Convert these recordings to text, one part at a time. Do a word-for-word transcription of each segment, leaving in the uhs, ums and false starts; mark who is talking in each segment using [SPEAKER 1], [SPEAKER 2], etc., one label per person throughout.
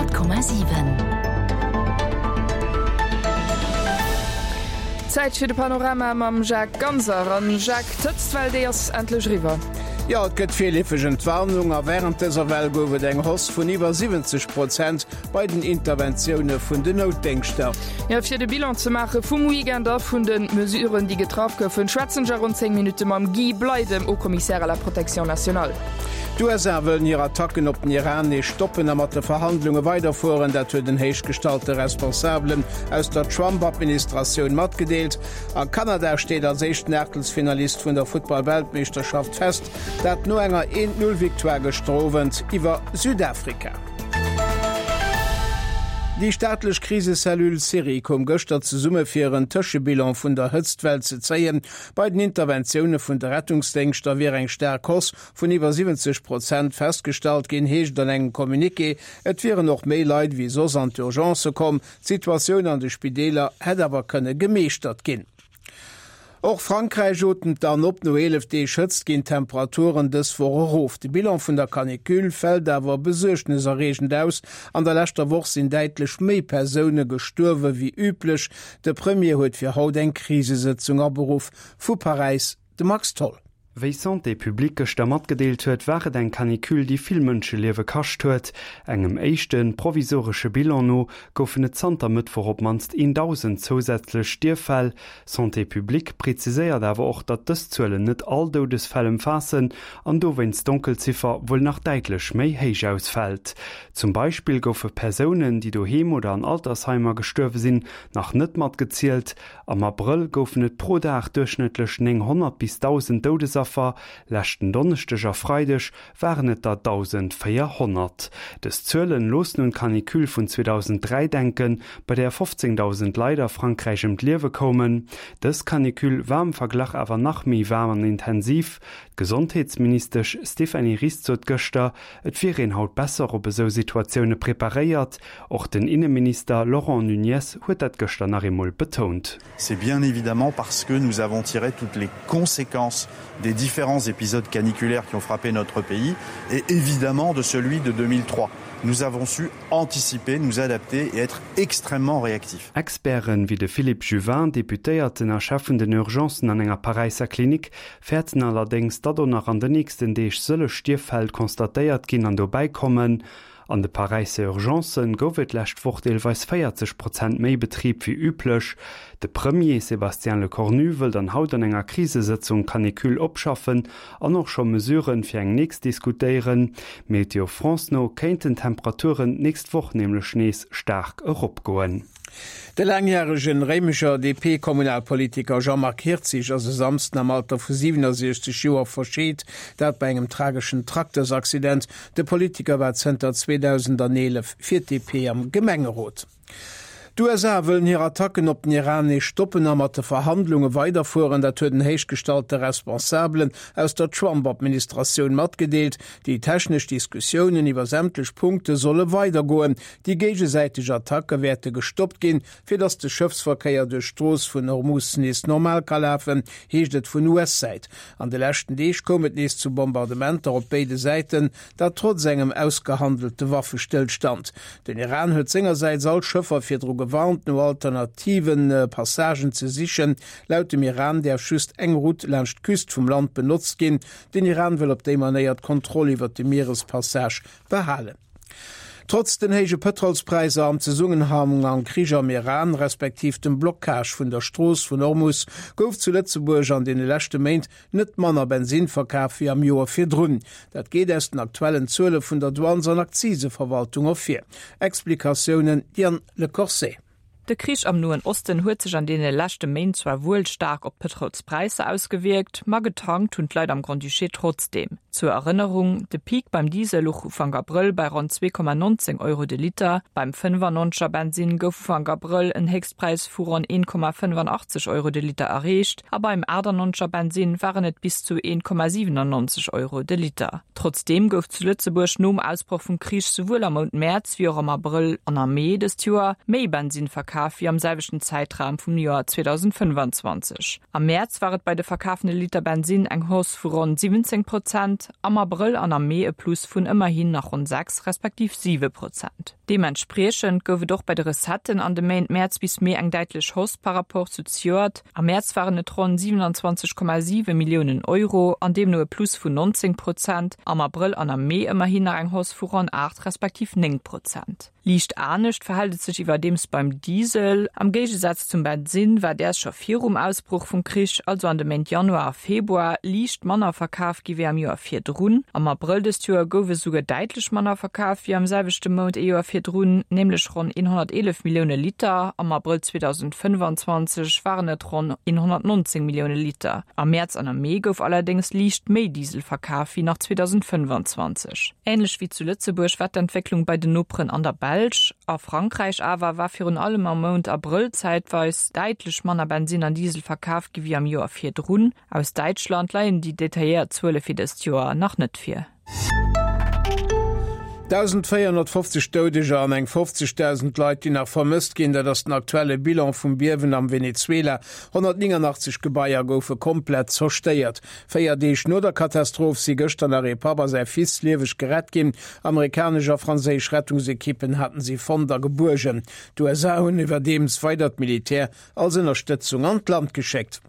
[SPEAKER 1] Honnert Komma siwen.
[SPEAKER 2] Zäit fir de Panorama mam Jacques Ganser. An Jacques, d'Hëtztwell, déi ass endlech eriwwer.
[SPEAKER 3] Jo, et gëtt virleefeg Entwarnung a wärend dëser Well gouf et eng Hausse vun iwwer siwwenzeg Prozent bei den Interventioune vun den Noutdéngschter.
[SPEAKER 2] Jo, fir de Bilan ze maache vum Weekend a vun de Mesuren, déi getraff goufen, schwätzen ech a ronn zéng Minutte mam Guy Bley, dem Haut-Commissaire à la protection nationale.
[SPEAKER 3] D'USA wëllen hir Attacken op den Iran nees stoppen a mat de Verhandlunge weiderfueren. Dat huet en héichgestallte Responsabelen aus der Trump-Administratioun matgedeelt. A Kanada steet als éischten Aachtelsfinalist vun der Futtball-Weltmeeschterschaft fest, dat no enger Eent-Null-Victoire gëschter Owend iwwer Südafrika. Déi staatlech Krisecellule SIRI koum gëschter zesumme fir en Tëschebilan vun der Hëtztwell ze zéien. Bei den Interventioune vun de Rettungsdéngschter wier eng staark Hausse vun iwwer siwwenzeg Prozent festgestallt ginn, heescht et an engem Communiqué. Et wieren och méi Leit wéi soss an d'Urgencë komm. D'Situatioun an de Spideeler hätt awer kënne gemeeschtert ginn. Och Frankräich otemt dann op, no eelef Deeg Hëtzt ginn d'Temperaturen dës Woch erof. De Bilan vun der Canicule fält awer besuergneserreegend aus. An der leschter Woch sinn däitlech méi Persoune gestuerwe wéi üblech. De Premier huet fir haut eng Krisesëtzung aberuff. Vu Paräis de Max Tholl.
[SPEAKER 4] Wéi Santé publique gëschter matgedeelt huet, war et eng Canicule, déi vill Mënscheliewe kascht huet. Engem éischte provisoresche Bilan no goufen et zanter Mëttwoch op d'mannst een Dausend zousätzlech Stierffäll. Santé publique preziséiert awer och, datt dës Zuelen net all Doudesfäll ëmfaassen an dowéinst d'Donkelziffer wuel nach däitlech méi héich ausfält. Zum Beispill goufe Persounen, déi doheem oder an Altersheimer gestuerwe sinn, nach net matgezielt. Am Abrëll goufen et pro Dag duerchschnëttlech nénghonnert bis dausend Doudesaffer, leschten Donneschdeg a Freideg waren et der dausendvéierhonnert. Dës Zuelen loossen un d'Canicule vun zweedausenddräi denken, bei där fofzéngdausend Leit a Frankräich ëm d'Liewe koumen. Dës Canicule war am Verglach awer nach méi waarm an intensiv. D'Gesondheetsministesch Stéphanie Rist sot gëschter, et wier een haut besser op esou Situatioune preparéiert. Och den Inneminister Laurent Nunez huet dat gëschter nach eemol betount.
[SPEAKER 5] C'est bien évidemment parce que nous avons tiré toutes les conséquences des différents épisodes caniculaires qui ont frappé notre pays et évidemment de celui de deux mille trois. Nous avons su anticiper, nous adapter et être extrêmement réactifs.
[SPEAKER 4] Experten wéi de Philippe Juvin, Deputéierten a Chef vun den Urgencen an enger Paräisser Klinik, fäerten allerdéngs, datt och nach an den nächsten Deeg sëlleg Stierffäll constatéiert ginn an dobäi kommen. An de Paräisser Urgencen gouf et d'lescht Woch deelweis véierzeg Prozent méi Betrib wéi üblech. De Premier Sébastien Lecornu wëll dann haut an enger Krisesëtzung d'Canicule opschaffen an och scho Mesuren fir eng nächst diskutéieren. Météo France no kéinten d'Temperaturen d'nächst Woch nämlech nees staark eropgoen.
[SPEAKER 3] De laangjäregen Réimecher D P-Kommunalpolitiker Jean-Marc Hirtzig ass e Samsden am Alter vu siwenosiechzeg Joer verscheet, dat bei engem trageschen Traktersaccident. De Politiker war zënter zweedausendeelef fir d'D P am Gemengerot. D'U S A wëllen hir Attacken op den Iran nees stoppen a mat de Verhandlunge weiderfueren, dat huet en héichgestallte Responsabelen aus der Trump-Administratioun matgedeelt. Déi technesch Diskussiounen iwwer sämtlech Punkte solle weidergoen. Déi géigesäiteg Attacke wäerte gestoppt ginn, fir datt de Schëffsverkéier duerch d'Strooss vun Hormus nees normal ka lafen, heescht et vun U S-Säit. An de leschten Deeg koum et nees zu Bombardementer op béide Säiten, dat trotz engem ausgehandelte Waffestëllstand. Den Iran huet sengersäits all Schëffer virdru gewarnt, no alternative Passagen ze sichen. Laut dem Iran däerf just eng Route laanscht d'Küst vum Land benotzt ginn. Den Iran wëll op déi Manéier d'Kontroll iwwer de Mierespassage behalen. Trotz den héije Pëtrolspräisser am Zesummenhang mam Krich am Iran respektiv dem Blockage vun der Strooss vun Hormus gouf zu Lëtzebuerg an deene leschte Méint net manner Bensin verkaf wéi am Joer virdrun. Dat geet aus den aktuellen Zuele vun der Douanes an Akziseverwaltung ervir. Explikatiounen Diane Le Corset.
[SPEAKER 6] De Krich am Noen Osten huet sech an deene leschte Méint zwar wuel staark op d'Pëtrolspräisser ausgewierkt, ma getankt hunn d'Leit am Grand-Duché trotzdeem. Zur Erënnerung, de Peak beim Diesel louch Ufank Abrëll bei ronn zwee Komma nonzéng Euro de Liter, beim fënnefannonzeger Bensin gouf Ufank Abrëll en Héchstpräis vu ronn een Komma fënnefanachteg Euro de Liter erreecht, a beim aachtannonzeger Bensin waren et bis zu een Komma siwenannonzeg Euro de Liter. Trotzdeem gouf zu Lëtzebuerg nom Ausbroch vum Krich souwuel am Mount Mäerz wéi och am Abrëll an am Mee dëst Joer méi Bensin verkaf wéi am selwechten Zäitraum vum Joer zweedausendfënnefenzwanzeg. Am Mäerz war et bei de verkafte Liter Bensin eng Hausse vu ronn siwwenzéng Prozent, am Abrëll an am Mee e Plus vun ëmmerhin nach ronn sechs respektiv siwe Prozent. Deementspriechend gouf et och bei de Recetten an de Méint Mäerz bis Mee eng däitlech Hausse par rapport zu zejoert. Am Mäerz waren et ronn siewenundzwanzeg Komma siwe Milliounen Euro an deemno e Plus vun neunzéng Prozent, am Abrëll an am Mee ëmmerhin nach eng Hausse vu ronn aacht respektiv néng Prozent. Liicht anescht verhält et sech iwwerdeems beim Diesel. Am Géigesaz zum Bensinn war däers scho virum Ausbroch vum Krich, also an de Méint Januar a Februar, liicht manner verkaf gi wéi am Joer virdrun. Am Abrëll dëst Joer gouf esouguer däitlech manner verkaf wéi am selwechte Mount ee Joer virdrun, nämlech ronn hunnerteelef Millioune Liter. Am Abrëll zweedausendfënnfanzwanzeg waren et ronn hunnertnonzéng Millioune Liter. Am Mäerz an am Mee gouf allerdéngs liicht méi Diesel verkaf wéi nach zweedausendfënnfanzwanzeg. Änlech wéi zu Lëtzebuerg war d'Entwécklung bei den Noperen an der Belsch. A Frankräich awer war virun allem am Mount Abrëll zäitweis däitlech manner Bensinn an Diesel verkaf gi wéi am Joer virdrun. Aus Däitschland leien déi detailléiert Zuele fir dëst Joer nach net vir.
[SPEAKER 3] dausendvéierhonnertfofzeg Doudeger an eng fofzegdausend Leit, déi nach vermësst ginn, dat ass den aktuelle Bilan vum Biewen am Venezuela. honnertnéngangachtzeg Gebaier goufe komplett zerstéiert. Véier Deeg no der Katastroph si gëschter nach ee Papp a säi Fils lieweg gerett ginn. Amerikanesch a franséisch Rettungsekippen haten si fonnt a gebuergen. D'USA hunn iwwerdeems weidert Militär als Ënnerstëtzung an d'Land geschéckt.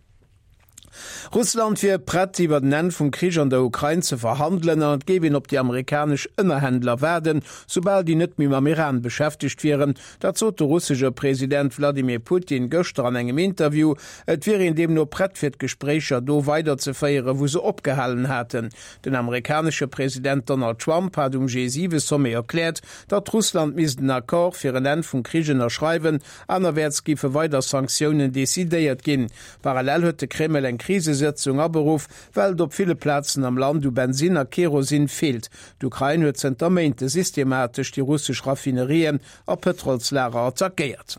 [SPEAKER 3] Russland wier prett, iwwer den Enn vum Krich an der Ukrain ze verhandelen an et géif een op déi amerikanesch Ënnerhändler waarden, soubal déi net méi mam Iran beschäftegt wieren. Dat sot de russesche President Wladimir Putin gëschter an engem Interview. Et wier een deemno prett fir d'Gespréicher do weiderzeféieren, wou se opgehalen haten. Den amerikanesche President Donald Trump hat um G siwe Sommet erkläert, datt Russland misst en Accord fir en Enn vum Krich ënnerschreiwen, anerwäerts géife weider Sanktiounen decidéiert ginn. Parallel huet de Kreml eng Krisesëtzung aberuff, well et op ville Plazen am Land u Bensinn a Kerosin feelt. D'Ukrain huet zënter Méinte systematesch déi russesch Raffinerien a Pëtrolslager attackéiert.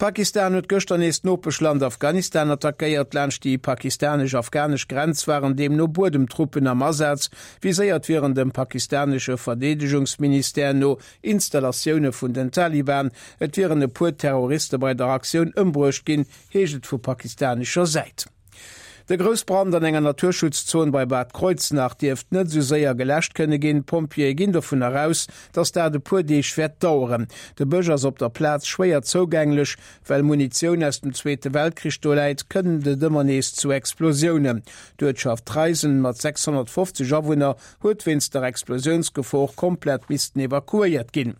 [SPEAKER 3] Pakistan huet gëschter nees d'Nopeschland Afghanistan attackéiert. Laanscht déi pakistanesch-afghanesch Grenz waren deemno Buedemtruppen am Asaz. Viséiert wieren dem pakistanesche Verdeedegungsministère no Installatioune vun den Taliban. Et wieren e puer Terroriste bei der Aktioun ëmbruecht ginn, heescht et vu pakistanescher Säit. De Groussbrand an enger Naturschutzzon bei Bad Kreuznach dierft net esou séier geläscht kënne ginn. D'Pompjeeë ginn dovunner aus, datt dat e puer Deeg wäert daueren. De Bësch ass op der Plaz schwéier zougänglech. Well Munitioun aus dem Zweete Weltkrich do läit, kënnt et ëmmer nees zu Explosiounen. D'Uertschaft Traisen mat sechshonnertfofzeg Awunner huet wéinst der Explosiounsgefor komplett missten evakuéiert ginn.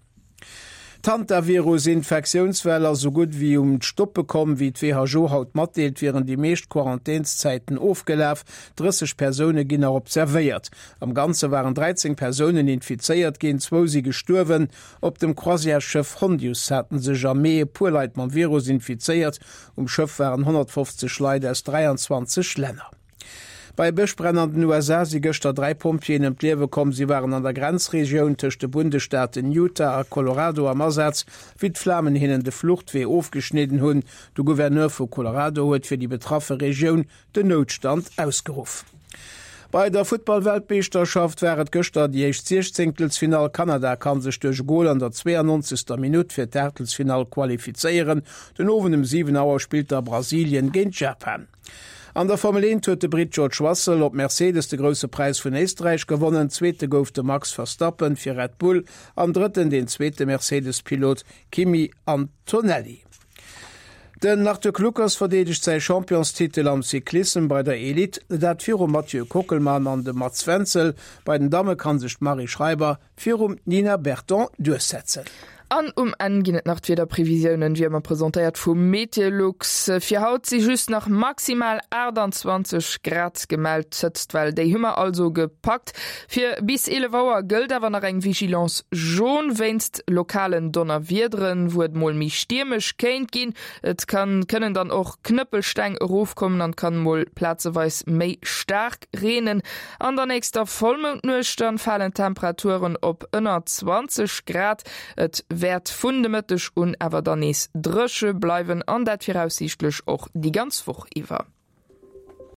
[SPEAKER 3] D'Hantavirus-Infektiounswell ass sou gutt wéi um d'Stoppe komm. Wéi d'WHO haut matdeelt, wieren déi meescht Quarantänszäiten ofgelaf. drësseg Persoune ginn nach observéiert. Am Ganze waren dräizéng Persounen infizéiert ginn, zwou si gestuerwen. Op dem Croisièresschëff Hondius haten sech am Mee e puer Leit mam Virus infizéiert. Um Schëff waren honnertfofzeg Leit aus dräianzwanzeg Länner. Bei Bëschbränn an den U S A si gëschter dräi Pompjeeën ëm d'Liewe komm. Si waren an der Grenzregioun tëscht de Bundesstaaten Utah a Colorado am Asaz, wéi d'Flamen hinnen de Fluchtwee ofgeschnidden hunn. De Gouverneur vu Colorado huet fir déi betraffe Regioun den Noutstand ausgeruff. Bei der Futtball-Weltmeeschterschaft war et gëschter déi éischt Siechzéngtelsfinall. Kanada kann sech duerch e Gol an der zweeannonzegster Minutt fir d'Aachtelsfinall qualifizéieren. Den Owend um siwen Auer spillt da Brasilien géint Japan. An der Formel eent huet de Britt George Russell op Mercedes de Grousse Präis vun Éisträich gewonnen. Zweete gouf de Max Verstappen fir Red Bull an Drëtten deen zweete Mercedes-Pilot Kimi Antonelli. Den Arthur Kluckers verdeedegt säi Championstitel am Cyclissem bei der Elite, dat virum Mathieu Kockelmann an dem Mats Wenzel. Bei den Damme kann sech d'Marie Schreiber virum Nina Berton duerchsetzen.
[SPEAKER 2] An um Enn ginn et nach d'Wiederprevisiounen, wéi ëmmer presentéiert vu Meteolux. Fir haut si just nach maximal aachtanzwanzeg Grad gemellt. D'Hëtztwell, déi hu mer also gepackt. Fir bis eelef Auer gëllt awer nach eng Vigilance jaune wéinst lokalen Donnerwiederen, wou et mol méi stiermesch kéint ginn. Et kann kënnen dann och Knëppelsteng erofkommen an kann mol plazeweis méi staark reenen. An der nächster Vollmoundnuecht dann falen d'Temperaturen op ënner zwanzeg Grad. Et wäert vun de Mëtteg un awer dann nees dréche bleiwen an dat viraussiichtlech och déi ganz Woch iwwer.